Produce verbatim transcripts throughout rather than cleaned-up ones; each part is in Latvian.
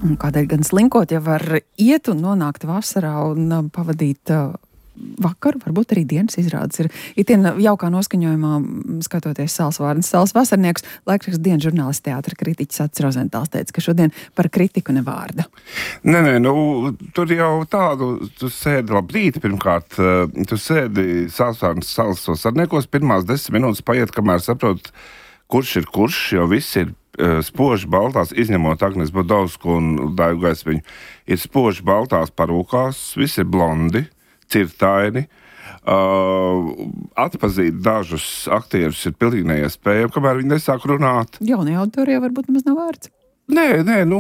Un kādēļ gan slinkot, ja var iet un nonākt vasarā un pavadīt vakaru, varbūt arī dienas izrādes ir itin jaukā noskaņojumā, skatoties Sāls Vārnas, Sāls vasarnieks, laikraksta dienas žurnālists, teātra kritiķis Acis Rozentāls teica, ka šodien par kritiku ne vārda. Nē, nē, nu, tur jau tādu, tu sēdi labrīt, pirmkārt, tu sēdi Sāls Vārnas, Sāls vasarniekos, pirmās desmit minūtes paiet, kamēr saprot, kurš ir kurš, jo viss ir spoži baltās, izņemot Agnes Bodovsku un Daigu Gaismiņu, ir spoži baltās parūkās, visi ir blondi, cirtaini. Uh, atpazīt dažus aktierus ir pilnīgi neiespējami, kamēr viņi nesāk runāt. Jaunie auditorija varbūt maz nav vārds. Nē, nē, nu,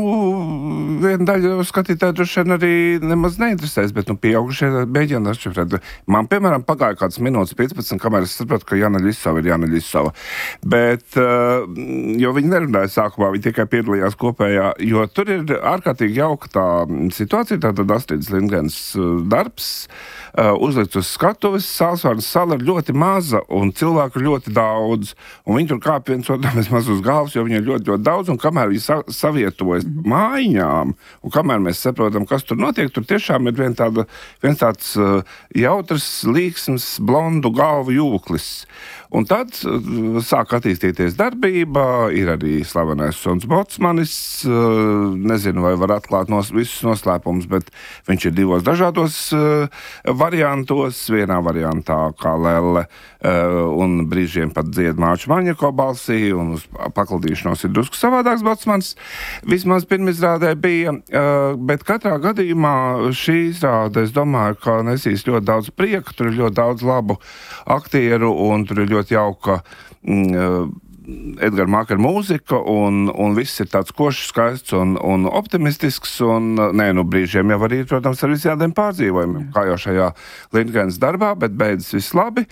viena daļa skatītāji droši vien arī nemaz neinteresēs, bet, nu, pieaugušie mēģina atšifrēt. Man, piemēram, pagāja kāds minūtes piecpadsmit, kamēr es sapratu, ka Jāna Ļisava ir Jāna Ļisava. Bet, uh, jo viņi nerunāja sākumā, viņi tikai piedalījās kopējā, jo tur ir ārkārtīgi jauka tā situācija, tātad Astridas Lindgrens darbs, uh, uzlikts uz skatuves, Sāls Vārnas sala ir ļoti maza un cilvēku ļoti daudz, un viņi tur kāp viens otram maz uz galvas, jo viņi ir ļoti, ļoti daudz, un kamēr viņi sa savietojas mājiņām, un kamēr mēs saprotam, kas tur notiek, tur tiešām ir vien tāda, viens tāds uh, jautrs, līksms, blondu galvu jūklis. Un tad uh, sāk attīstīties darbība, ir arī slavenais Sons Botsmanis, uh, nezinu, vai var atklāt nos, visus noslēpumus, bet viņš ir divos dažādos uh, variantos, vienā variantā kā Lelle, uh, un brīžiem pat dzied Māču Maņeko balsī, un uz paklādīšanos ir drusku savādāks Botsmanis. Vismaz pirmizrādē bija, bet katrā gadījumā šī izrāde, es domāju, ka nesīs ļoti daudz prieka, tur ir ļoti daudz labu aktieru un tur ir ļoti jauka mm, Edgara Mākera mūzika un, un viss ir tāds košs, skaists un, un optimistisks un, nē, nu brīžiem jau arī, protams, ar visādiem pārdzīvojumiem, kā jau šajā Lindgrens darbā, bet beidzas viss labi.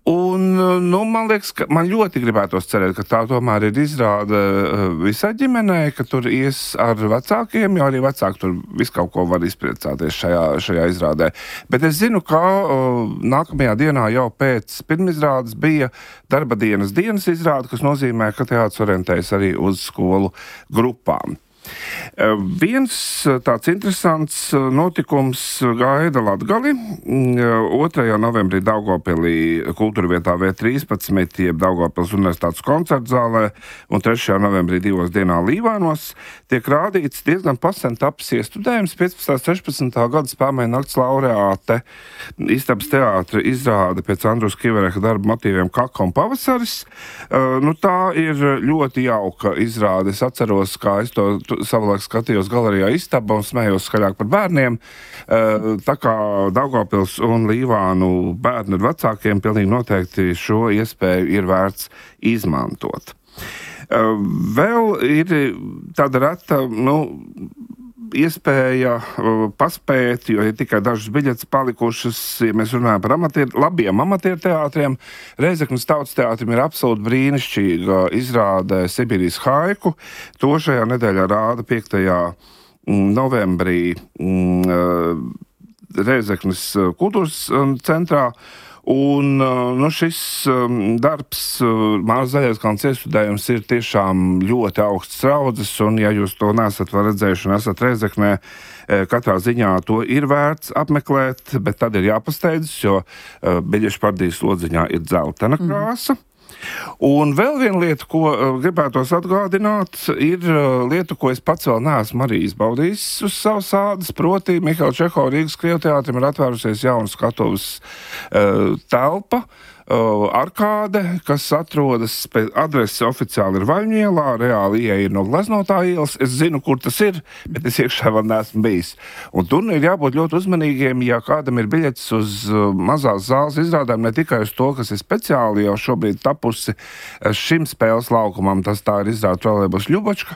Un, nu, man liekas, ka man ļoti gribētos cerēt, ka tā tomēr ir izrāde visai ģimenei, ka tur ies ar vecākiem, jo arī vecāki tur visu kaut ko var izpriecāties šajā, šajā izrādē. Bet es zinu, ka uh, nākamajā dienā jau pēc pirmizrādes bija darba dienas dienas izrāde, kas nozīmē, ka teātris orientējas arī uz skolu grupām. Uh, viens tāds interesants notikums gaida Latgali. Uh, otrajā novembrī Daugavpilī kultūra vietā V trīspadsmit, jeb Daugavpils universitātes koncertzālē, un trešajā novembrī divos dienā Līvānos tiek rādīts diezgan pasen tapis iestudējums piecpadsmitā sešpadsmitā gada Spēlmaiņu nakts laureāte Istabas teātra izrāde pēc Andrus Kivereha darba motīviem Kaka un pavasaris. Uh, nu, tā ir ļoti jauka izrāde. Es atceros, kā es to savulaik skatījos galerijā Istaba un smējos skaļāk par bērniem. Tā kā Daugavpils un Līvānu bērni ar vecākiem pilnīgi noteikti šo iespēju ir vērts izmantot. Vēl ir tāda reta, nu, iespēja paspēt, jo ir tikai dažas biļetes palikušas, ja mēs runājam par amatier, labiem amatieru teātriem. Reizeknas Tautas teātrim ir absolūti brīnišķīga izrāde Sibīrijas haiku. To šajā nedēļā rāda piektajā novembrī Reizeknas kultūras centrā. Un nu, šis darbs, Mārs Zaļaiskalns iestudējums, ir tiešām ļoti augsts raudzes, un ja jūs to nesat vēl redzējuši un esat Reizeknē, katrā ziņā to ir vērts apmeklēt, bet tad ir jāpasteidzas, jo biļešu pārdīs lodziņā ir dzeltena krāsa. Mm. Un vēl viena lieta, ko uh, gribētos atgādināt, ir uh, lieta, ko es pats vēl neesmu arī izbaudījis uz savas ādas, proti Mihaila Čehova Rīgas Krievteātrim ir atvērusies jauna skatuves uh, telpa, uh, arkāde, kas atrodas pēc adrese oficiāli ir Vaļņielā, reāli ieeja ir no Gleznotā ielas. Es zinu, kur tas ir, bet es iekšā vēl neesmu bijis. Un tur ir jābūt ļoti uzmanīgiem, ja kādam ir biļetes uz uh, mazās zāles izrādēm, ne tikai uz to, kas ir speciāli jau šobrīd tapusi šim spēles laukumam, tas tā ir izrāda Trolejbus Ļubočka,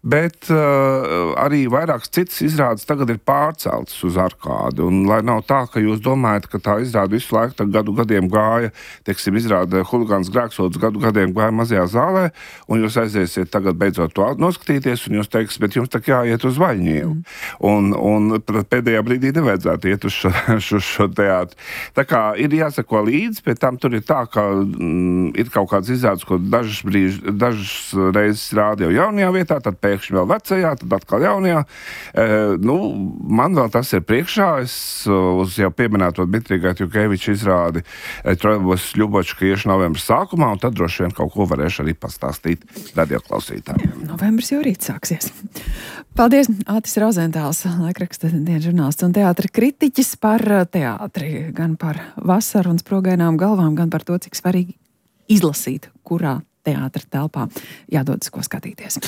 bet uh, arī vairākas citas izrādes tagad ir pārceltas uz arkādi. Un lai nav tā, ka jūs domājat, ka tā izrāda visu laiku gadu gadiem gāja, teiksim, izrāda Huligāns Grēksods gadu gadiem gāja mazajā zālē, un jūs aiziesiet tagad beidzot to noskatīties, un jūs teiks, bet jums tā jāiet uz Vaļņielu. Mm. Un, un pēdējā brīdī nevajadzētu iet uz šo, šo, šo teātru. Tā kā ir jāsako līdzi, pēc tam tur ir tā, ka mm, ir kaut kāds izrādes, ko dažas, brīž, dažas reizes rāda jau jaunajā vietā, tad pēc pēkšņi vēl vecajā, tad atkal jaunajā. E, nu, man vēl tas ir priekšā. Es uz jau pieminēto Dmitrija Gatjukeviča izrādi Trojbos Ļubočka iešu novembra sākumā, un tad droši vien kaut ko varēšu arī pastāstīt radioklausītājiem. Novembris jau rīt sāksies. Paldies, Ātis Rozentāls, laikraksta dienas žurnālists un teātra kritiķis par teātri, gan par vasaru un sprogainām galvām, gan par to, cik svarīgi izlasīt, kurā teātra telpā jādodas ko skatīties.